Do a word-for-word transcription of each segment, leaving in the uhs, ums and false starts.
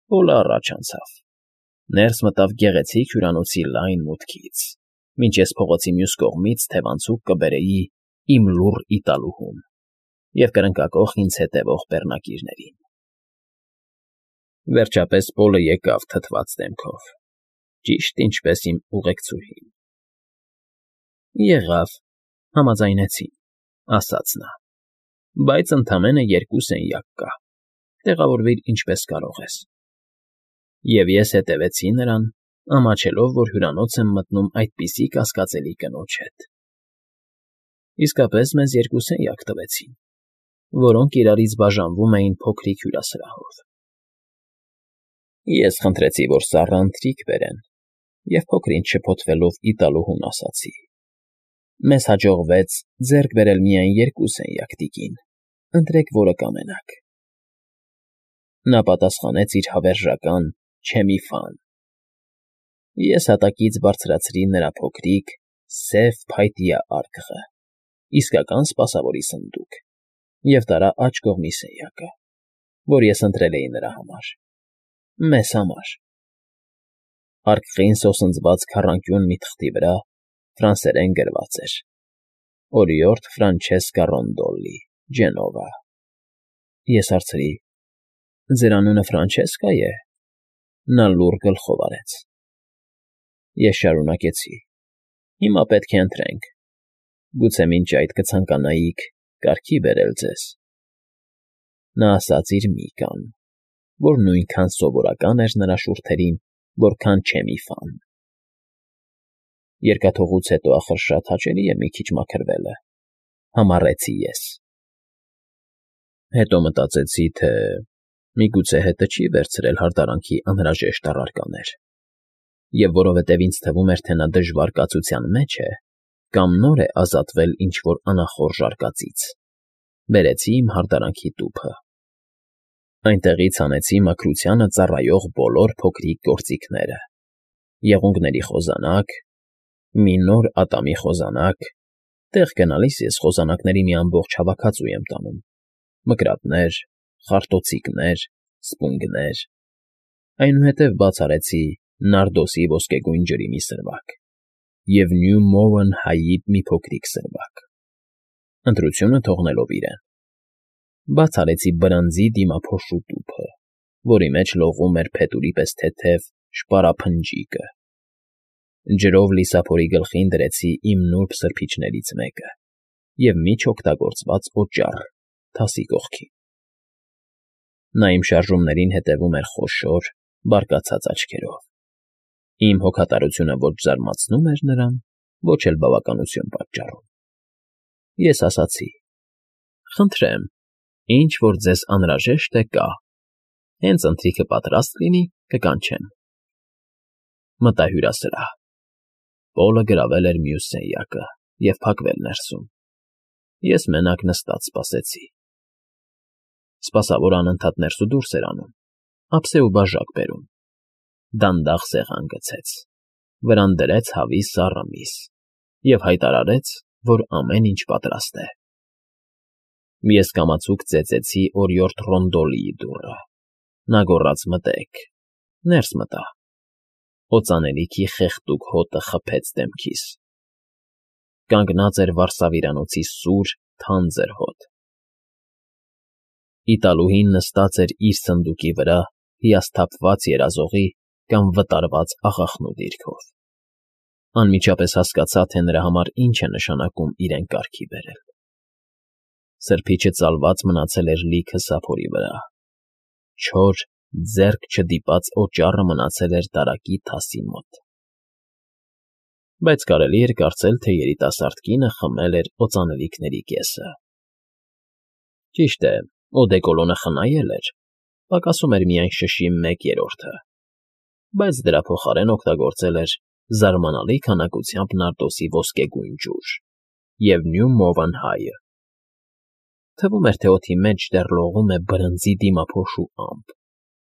Պոլը առաջ անցավ, ներս մտավ գեղեցիկ հյուրանոցի լայն մուտքից, մինչ ես փողոցի մյուս կողմից թևանցուկ կբերեի իմ լուռ Իտալուհուն և կրնկակոխ ինձ հետևող բեռնակիրներին։ Վերջապես Պոլը եկավ թթված դեմքով, ճիշտ ինչպես իմ ուղեկցուհին։ ֊ Եղավ, համաձայնեցին,֊ ասաց նա,֊ բայց ընդամենը երկու սենյակ կա, տեղավորվիր ինչպես կարող ես։ Եվ ես հետևեցի նրան, ամաչելով, որ հյուրանոց եմ մտնում այդպիսի կասկածելի կնոջ հետ։ Իսկապես մեզ երկու սենյակ տվեցին, որոնք իրարից բաժանվում էին փոքրիկ հյուրասրահով։ Ես խնդրեցի, որ սառը ընթրիք բերեն, և փոքր֊ինչ շփոթվելով Իտալուհուն ասացի. «Մեզ հաջողվեց ձեռք բերել միայն երկու սենյակ, տիկին, ընտրեք, որը կամենաք»։ Նա պատասխանեց իր հավերժական «Չէ մի ֆան»։ Ես հատակից բարձրացրի նրա փոքրիկ, սև փայտյա արկղը, իսկական սպասավորի սնդուկ, և տարա աջ կողմի սենյակը, որ ես ընտրել էի նրա համար, մեզ համար։ Արկղին սոսնձված քառանկյուն մի թղթի վրա ֆրանսերեն գրված էր. «Օրիորդ Ֆրանչեսկա Ռոնդոլլի, Ջենովա»։ Ես հարցրի. «Ձեր անունը Ֆրանչեսկա՞ է»։ Նա լուռ գլխով արեց։ Ես շարունակեցի. «Հիմա պետք է ընտրենք. գուցե մինչ այդ կցանկանայիք կարգի բերել ձեզ»։ Նա ասաց իր Միկան, որ նույնքան սովորական էր նրա շուրթերին, որքան Չէ մի ֆան։ Երկաթուղուց հետո ախր շատ հաճելի է մի քիչ մաքրվելը, համառեցի ես։ Հետո մտածեցի, թե միգուցե հետը չի վերցրել հարդարանքի անհրաժեշտ առարկաներ, և որովհետև ինձ թվում էր, թե նա դժվար կացության մեջ է, կամ նոր է ազատվել ինչ֊որ անախորժ արկածից, բերեցի իմ հարդարանքի տուփը։ Այնտեղից հանեցի մաքրությանը ծառայող բոլոր փոքրիկ գործիքները՝ եղունգների խոզանակ, մի նոր ատամի խոզանակ (տեղ գնալիս ես խոզանակների մի ամբողջ հավաքածու եմ տանում), մկրատներ, խարտոցիկներ, սպունգներ, այնուհետև բաց արեցի նարդոսի ոսկեգույն ջրի մի սրվակ և Նյու Մոուն հայի մի փոքրիկ սրվակ, ընտրությունը թողնելով իրեն։ Բաց արեցի բրանձի դիմափոշու տուփը, որի մեջ լողում էր փետուրի պես թեթև շպարափնջիկը։ Ջրով լիսափորի գլխին դրեցի իմ նուրբ սրբիչներից մեկը և մի չօգտագործված օճառ թասի կողքին։ Նա իմ շարժումներին հետևում էր խոշոր, բարկացած աչքերով։ Իմ հոգատարությունը ոչ զարմացնում էր նրան, ոչ էլ բավականություն պատճառում։ Ես ասացի. «Խնդրեմ, ինչ որ ձեզ անհրաժեշտ է, կա, հենց ընթրիքը պատրաստ լինի, կկանչեմ»։ Մտա հյուրասրահ։ Պոլը գրավել էր մյուս սենյակը և փակվել ներսում։ Ես մենակ նստած սպասեցի։ Սպասավորը անընդհատ ներս ու դուրս էր անում, ափսե ու բաժակ բերում։ Դանդաղ սեղան գցեց, վրան դրեց հավի սառը միս և հայտարարեց, որ ամեն ինչ պատրաստ է։ Ես կամացուկ ծեծեցի օրիորդ Ռոնդոլիի դուռը։ Նա գոռաց. «Մտե՛ք»։ Ներս մտա։ Օծանելիքի խեղդուկ հոտը խփեց դեմքիս։ Կանգնած էր վարսավիրանոցի սուր, թանձր հոտ։ Իտալուհին նստած էր իր սնդուկի վրա հիասթափված երազողի կամ վտարված աղախնու դիրքով։ Անմիջապես հասկացա, թե նրա համար ինչ է նշանակում իրեն կարգի բերել։ Սրբիչը ծալված մնացել էր լիքը սափորի վրա, չոր, ձեռք չդիպած օճառը մնացել էր դարակի թասի մոտ։ Բայց կարելի էր կարծել, թե երիտասարդ կինը խմել էր օծանելիքների կեսը։ Ճիշտ է, օդեկոլոնը խնայել էր, պակասում էր միայն շշի մեկ երրորդը, բայց դրա փոխարեն օգտագործել էր զարմանալի քանակությամբ նարդոսի ոսկեգույն ջուր և Նյու Մոուն հայը։ Թվում էր, թե օդի մեջ դեռ լողում է բրնձի դիմափոշու ամպ,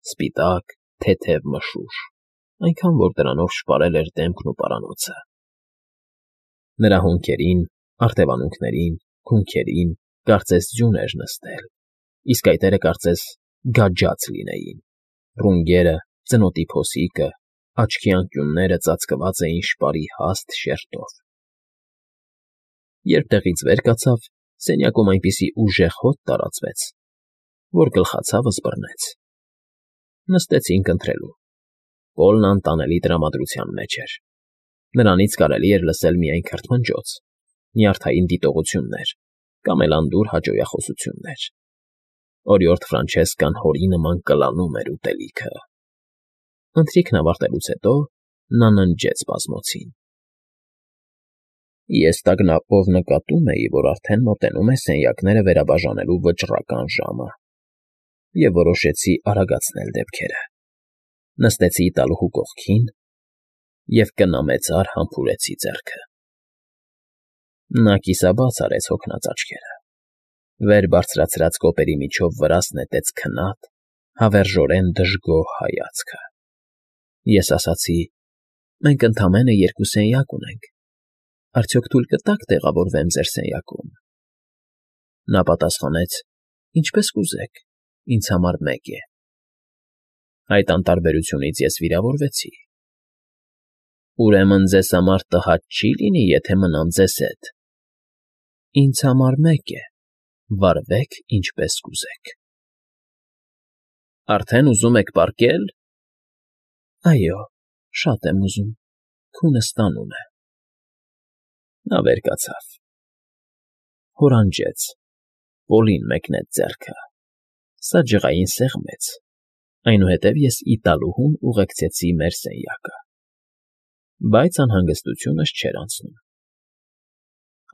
սպիտակ, թեթև մշուշ, այնքան, որ դրանով շպարել էր դեմքն ու պարանոցը։ Նրա հոնքերին, արտևանունքներին, քունքերին, կարծես, ձյուն էր նստել, իսկ այտերը, կարծես, գաճած լինեին։ Ռունգերը, ծնոտի փոսիկը, աչքի անկյունները ծածկված էին շպարի հաստ շերտով։ Երբ տեղից վեր կացավ, սենյակում այնպիսի ուժեղ հոտ տարածվեց, որ գլխացավս բռնեց։ Նստեցինք ընթրելու։ Պոլն անտանելի տրամադրության մեջ էր։ Նրանից կարելի էր լսել միայն քրթմնջոց, նյարդային դիտողություններ կամ էլ անդուր հաճոյախոսություններ։ Օրիորդ Ֆրանչեսկան հորի նման կլանում էր ուտելիքը։ Ընթրիքն ավարտելուց հետո նա ննջեց բազմոցին։ Ես տագնապով նկատում էի, որ արդեն մոտենում է սենյակները վերաբաժանելու վճռական ժամը, և որոշեցի արագացնել դեպքերը։ Նստեցի Իտալուհու կողքին և կնամեծար համբուրեցի ձեռքը։ Նա կիսաբաց արեց հոգնած աչքերը, վեր բարձրացրած կոպերի միջով վրաս նետեց քնած, հավերժորեն դժգոհ հայացքը։ Ես ասացի. «Մենք ընդամենը երկու սենյակ ունենք, արդյոք թույլ կտա՞ք տեղավորվեմ ձեր սենյակում»։ Նա պատասխանեց. «Ինչպես կուզեք, ինձ համար մեկ է»։ Այդ անտարբերությունից ես վիրավորվեցի։ «Ուրեմն ձեզ համար տհաճ չի՞ լինի, եթե մնամ ձեզ հետ»։ «Ինձ համար մեկ է, վարվեք ինչպես կուզեք»։ «Արդեն ուզում եք պառկե՞լ»։ «Այո, շատ եմ ուզում, քունը ստանում է»։ Նա վեր կացավ, հորանջեց, Պոլին մեկնեց ձեռքը։ Սա ջղային սեղմեց, այնուհետև ես Իտալուհուն ուղեկցեցի մեր սենյակը։ Բայց անհանգստությունս չէր անցնում։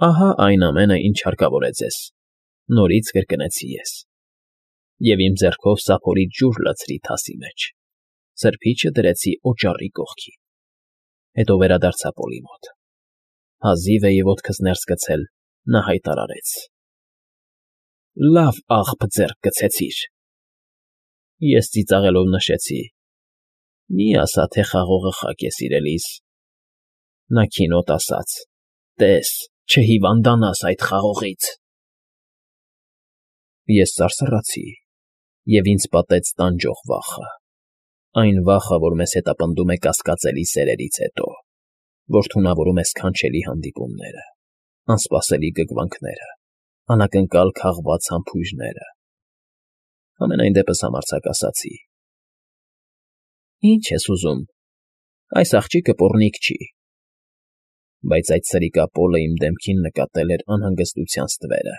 «Ահա այն ամենը, ինչ հարկավոր է ձեզ», նորից կրկնեցի ես, և իմ ձեռքով սափորից ջուր լցրի թասի մեջ, սրբիչը դրեցի օճառի կողքին։ Հետո վերադարձա Պոլի մոտ։ Հազիվ էի ոտքս ներս գցել, նա հայտարարեց. «Լավ աղբ ձեռք գցեցիր»։ Ես ծիծաղելով նշեցի. «Մի ասա, թե խաղողը խակ է, սիրելիս»։ Նա քինոտ ասաց. «Տես, չհիվանդանաս այդ խաղողից»։ Ես սարսռացի, և ինձ պատեց տանջող վախը, այն վախը, որ մեզ հետապնդում է կասկածելի սերերից հետո, որ թունավորում է սքանչելի հանդիպումները, անսպասելի գգվանքները, անակնկալ քաղված համբույրները։ Համենայն դեպս համարձակ ասացի. «Ի՞նչ ես ուզում, այս աղջիկը պոռնիկ չի»։ Բայց այդ սրիկա Պոլը իմ դեմքին նկատել էր անհանգստության ստվերը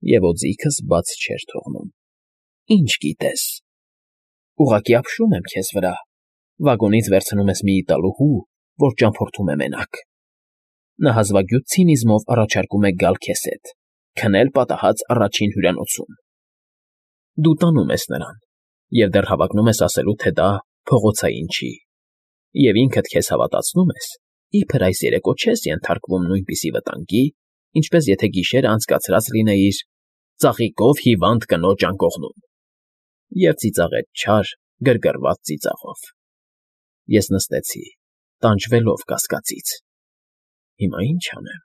և օձիքս բաց չէր թողնում։ «Ինչ գիտես, ուղղակի ապշում եմ քեզ վրա, վագոնից վերցնում ես մի Իտալուհու, որ ճամփորդում է մենակ։ Նա հազվագյուտ ցինիզմով առաջարկում է գալ քեզ հետ, քնել պատահած առաջին հյուրանոցում։ Դու տանում ես նրան և դեռ հավակնում ես ասելու, թե դա փողոցային չի, և ինքդ քեզ հավատացնում ես, իբր այս երեկո չես ենթարկվում նույնպիսի վտանգի, ինչպես եթե գիշերը անցկացրած լինեիր ծաղիկով հիվանդ կնոջ անկողնում։ Եվ ծիծաղեց չար, գրգռված ծիծաղով։ Ես նստեցի, տանջվելով կասկածից։ Հիմա ի՞նչ անեմ։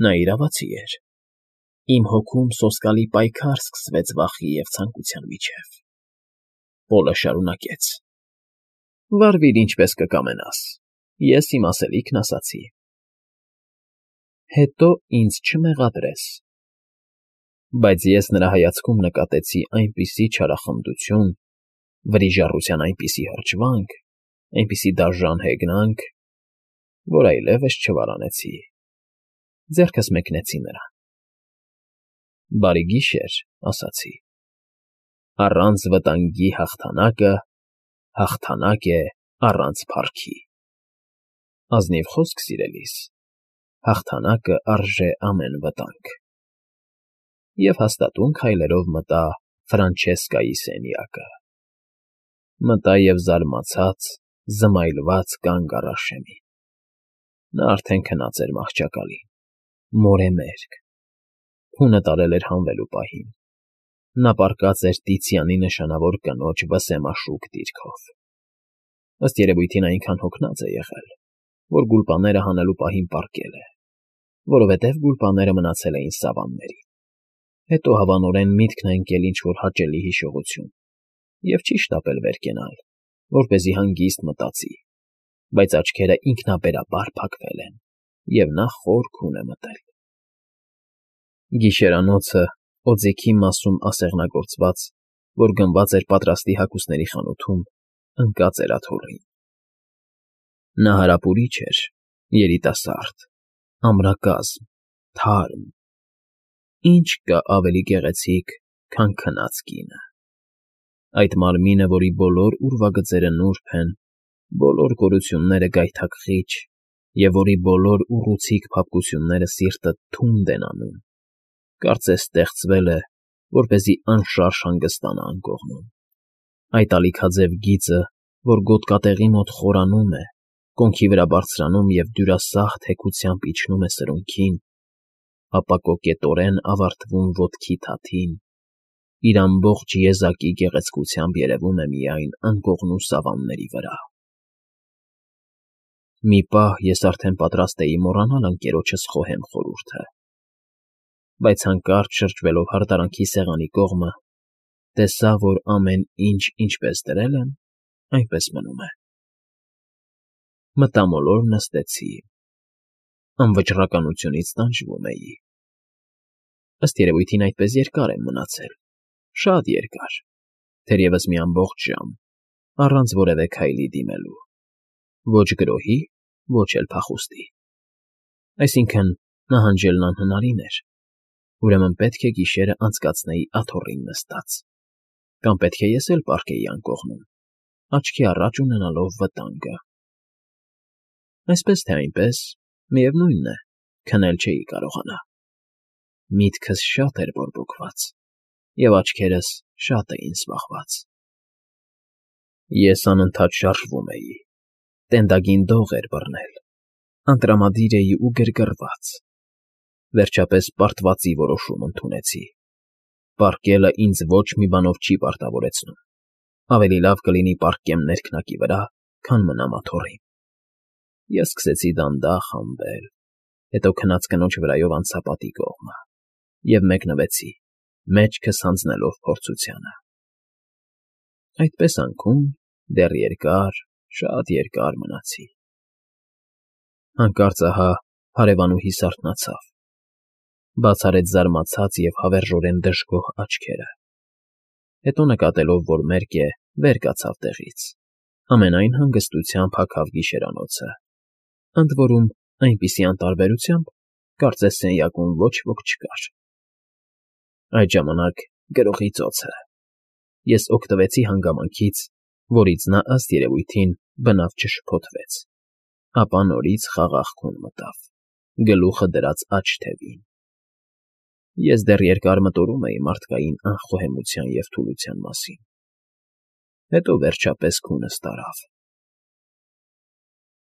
Նա իրավացի էր։ Իմ հոգում սոսկալի պայքար սկսվեց վախի և ցանկության միջև։ Պոլը շարունակեց. «Վարվիր ինչպես կկամենաս, ես իմ ասելիքն ասացի։ Հետո ինձ չմեղադրես»։ Բայց ես նրա հայացքում նկատեցի այնպիսի չարախնդություն, վրիժառության այնպիսի հրճվանք, այնպիսի դաժան հեգնանք, որ այլևս չվարանեցի, ձեռքս մեկնեցի նրան։ «Բարի գիշեր», ասացի։ «Առանց վտանգի հաղթանակը հաղթանակ է առանց փառքի։ Ազնիվ խոսք, սիրելիս, հաղթանակը արժե ամեն վտանգ»։ Եվ հաստատուն քայլերով մտա Ֆրանչեսկայի սենյակը։ Մտա և զարմացած, զմայլված կանգ առա շեմին։ Նա արդեն քնած էր մահճակալին, մորեմերկ, քունը տարել էր հանվելու պահին։ Նա պառկած էր Տիցիանի նշանավոր կնոջ վսեմաշուկ դիրքով։ Ըստ երևույթին այնքան հոգնած է եղել, որ գուլպաները հանելու պահին պառկել է, որովհետև գուլպաները մնացել էին սավաններին։ Հետո հավանորեն միտքն է ընկել ինչ֊որ հաճելի հիշողություն, և չի շտապել վեր կենալ, որպեսզի հանգիստ մտածի, բայց աչքերը ինքնաբերաբար փակվել են, և նա խոր քուն է մտել։ Գիշերանոցը օձիքի մասում ասեղնագործված, որ գնված էր պատրաստի հագուստների խանութում, ընկած էր աթոռին։ Նա հարապուրիչ էր, երիտասարդ, ամրակազմ, թարմ. ի՞նչ կա ավելի գեղեցիկ, քան քնած կինը։ Այդ մարմինը, որի բոլոր ուրվագծերը նուրբ են, բոլոր գորությունները գայթակղիչ և որի բոլոր ուռուցիկ փափկությունները սիրտդ թունդ են անում, կարծես ստեղծվել է, որպեսզի անշարժ հանգստանա անկողնում։ Այդ ալիքաձև գիծը, որ գոտկատեղի մոտ խորանում է, կոնքի վրա բարձրանում և դյուրասախ թեքությամբ իջնում է սրունքին, ապա կոկետորեն ավարտվում ոտքի թաթին, իր ամբողջ եզակի գեղեցկությամբ երևում է միայն անկողնու սավանների վրա։ Մի պահ ես արդեն պատրաստ էի մոռանալ ընկերոջս խոհեմ խորհուրդը, բայց հանկարծ շրջվելով հարդարանքի սեղանի կողմը, տեսա, որ ամեն ինչ ինչպես դրել եմ, այնպես մնում է։ Մտամոլոր նստեցի, անվճռականությունից տանջվում էի։ Ըստ երևույթին այդպես երկար եմ մնացել, շատ երկար, թերևս մի ամբողջ ժամ, առանց որևէ քայլի դիմելու, ոչ գրոհի, ոչ էլ փախուստի։ Այսինքն՝ նահանջելն անհնարին էր, ուրեմն պետք է գիշերը անցկացնեի աթոռին նստած, կամ պետք է ես էլ պառկեի անկողնում, աչքի առաջ ունենալով վտանգը։ Այսպես թե այնպես, միևնույն է, քնել չէի կարողանա։ Միտքս շատ էր բորբոքված, և աչքերս շատ էին զբաղված։ Ես անընդհատ շարժվում էի, տենդագին դող էր բռնել, անտրամադիր էի ու գրգռված։ Վերջապես պարտվածի որոշում ընդունեցի. պառկելը ինձ ոչ մի բանով չի պարտավորեցնում, ավելի լավ կլինի պառկեմ ներքնակի վրա, քան մնամ աթոռին։ Ես սկսեցի դանդաղ համբել, հետո քնած կնոջ վրայով անցա պատի կողմը և մեկնվեցի, մեջքս հանձնելով փորձությանը։ Այդպես անքում դեռ երկար, շատ երկար մնացի։ Հանկարծ ահա հարևանուհիս արթնացավ, բաց արեց զարմացած և հավերժորեն դժգոհ աչքերը, հետո նկատելով, որ մերկ է, վեր կացավ տեղից, ամենայն հանգստությամբ հագավ գիշերանոցը, ընդ որում, այնպիսի անտարբերությամբ, կարծես սենյակում ոչ ոք չկար։ Այդ ժամանակ գրողի ծոցը։ Ես օգտվեցի հանգամանքից, որից նա, ըստ երևույթին, բնավ չշփոթվեց, ապա նորից խաղաղ քուն մտավ, գլուխը դրած աջ թևին։ Ես դեռ երկար մտորում էի մարդկային անխոհեմության և թուլության մասին, հետո վերջապես քունս տարավ։